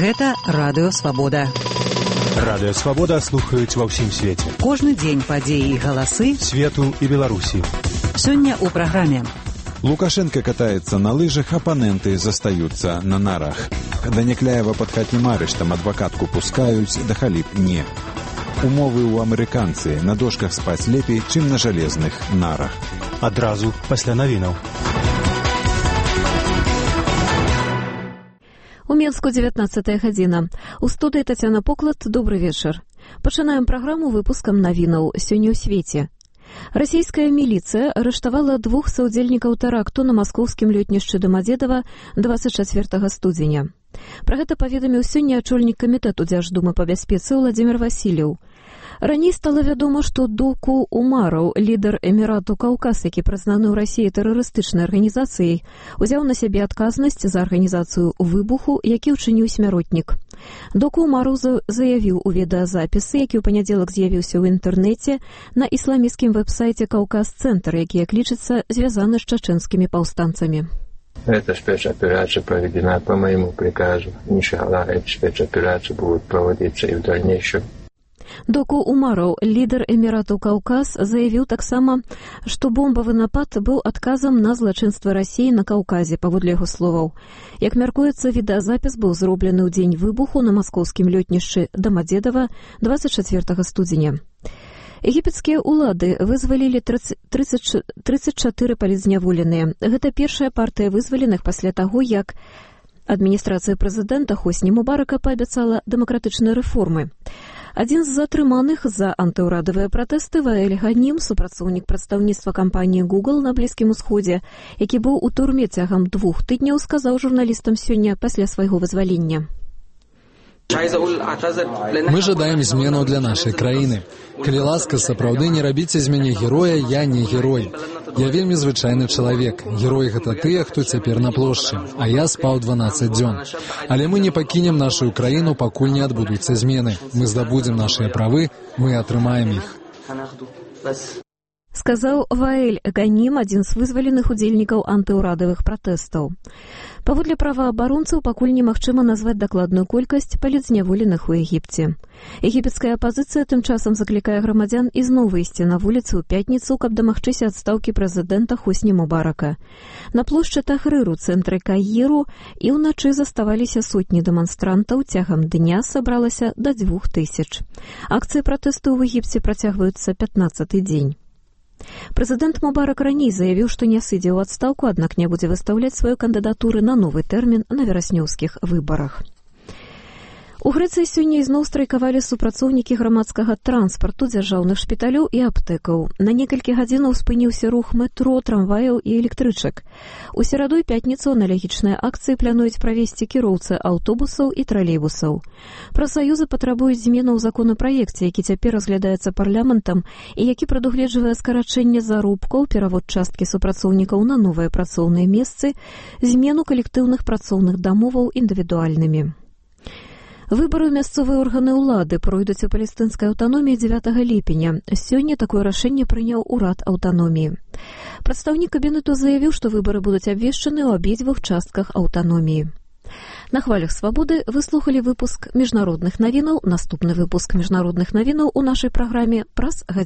Гэта Радыё Свабода. Радыё Свабода слухаюць ва ўсім свеце. Кожны дзень падзеі і галасы свету і Беларусі. Сёння ў праграме. Лукашенко катаецца на лыжах, апаненты застаюцца на нарах. Да Някляева пад хатнім арыштам адвакатку пускаюць, да халіп не. Умовы ў амерыканцы, на дошках спаць лепей, чым на жалезных нарах. Адразу пасля навінаў. У Менску 19 гадзіна. У студыі Тацяна Поклад, добры вечар. Пачынаем праграму выпускам навінаў сёння ў свеце. Расійская міліцыя арыштавала 2 саўдзельнікаў тэракту на маскоўскім лётнішчы Дамадзедава 24 студзеня. Пра гэта паведаміў сёння ачольнік камітэту Дзярждумы па бяспецы Владзімір Васілеў. Раней стала вядома, што Доку Умараў, лідар Эмірату Каўказ, які прызнаны ў Расіі тэрарыстычнай арганізацыяй, узяў на сябе адказнасць за арганізацыю выбуху, які ўчыніў смяротнік. Доку Умараў заявіў у відэазапісы, які ў панядзелак з'явіўся ў інтэрнэце, на ісламісцкім вэб-сайце «Каўказ-цэнтр», які, як лічыцца, звязаны з чачэнскімі паўстанцамі. Эта спецоперация проведена по моему приказу. Иншаллах, эти спецоперации будут проводиться и в дальнейшем. Доку Умараў, лідар Эмірату Каўказ, заявіў таксама, што бомбавы напад быў адказам на злачынствы Расіі на Каўказе, паводле яго словаў. Як мяркуецца, відэазапіс быў зроблены ў дзень выбуху на маскоўскім лётнішчы Дамадзедава 24 студзеня. Егіпецкія ўлады вызвалілі 34 палітзняволеныя. Гэта першая партыя вызваленых пасля таго, як адміністрацыя прэзідэнта Хосні Мубарака паабяцала дэмакратычныя рэформы. Адзін з затрыманых за антыўрадавыя пратэсты Ваэль Ганім, супрацоўнік прадстаўніцтва кампаніі Google на Блізкім Усходзе, які быў у турме цягам 2 тыдняў, сказаў журналістам сёння пасля свайго вызвалення. Мы жадаем зменаў для нашай краіны. Калі ласка, сапраўды не рабіце з мяне героя, я не герой. Я вельмі звычайны чалавек. Герой гэта тыя, хто цяпер на плошчы, а я спаў 12 дзён. Але мы не пакінем нашу краіну, пакуль не адбудуцца змены. Мы здабудзем нашыя правы, мы атрымаем іх. Сказаў Ваэль Ганім, адзін з вызваленых удзельнікаў антыўрадавых пратэстаў. Паводле праваабаронцаў, пакуль немагчыма назваць дакладную колькасць палітзняволеных у Егіпце. Егіпецкая апазіцыя тым часам заклікае грамадзян ізноў выйсці на вуліцы ў пятніцу, каб дамагчыся адстаўкі прэзідэнта Хосні Мубарака. На плошчы Тахрыр у цэнтры Каіру і ўначы заставаліся сотні дэманстрантаў, цягам дня сабралася да 2000. Акцыі пратэсту ў Егіпце працягваюцца 15-й дзень. Прэзідэнт Мубарак раней заявіў, што не сыдзе ў адстаўку, аднак не будзе выстаўляць сваю кандыдатуру на новы тэрмін на вераснёўскіх выбарах. У Грэцыі сёння ізноў страйкавалі супрацоўнікі грамадскага транспарту, дзяржаўных шпіталёў і аптэкаў. На некалькі гадзінаў спыніўся рух метро, трамваяў і электрычак. У сераду і пятніцу аналагічныя акцыі плануюць правесці кіроўцы аўтобусаў і тралейбусаў. Прафсаюзы патрабуюць зменаў у законапраекце, які цяпер разглядаецца парламентам і які прадугледжвае скарачэнне заробкаў, перавод часткі супрацоўнікаў на новыя працоўныя месцы, змену калектыўных працоўных дамоваў індывідуальнымі. Выбары ў мясцовыя органы ўлады пройдуць у палестынскай аўтаноміі 9 ліпеня. Сёння такое рашэнне прыняў урад аўтаноміі. Прадстаўнік кабінету заявіў, што выбары будуць абвешчаны ў абедзвюх частках аўтаноміі. На хвалях свабоды вы слухалі выпуск міжнародных навінаў. Наступны выпуск міжнародных навінаў у нашай праграме праз гадзіну.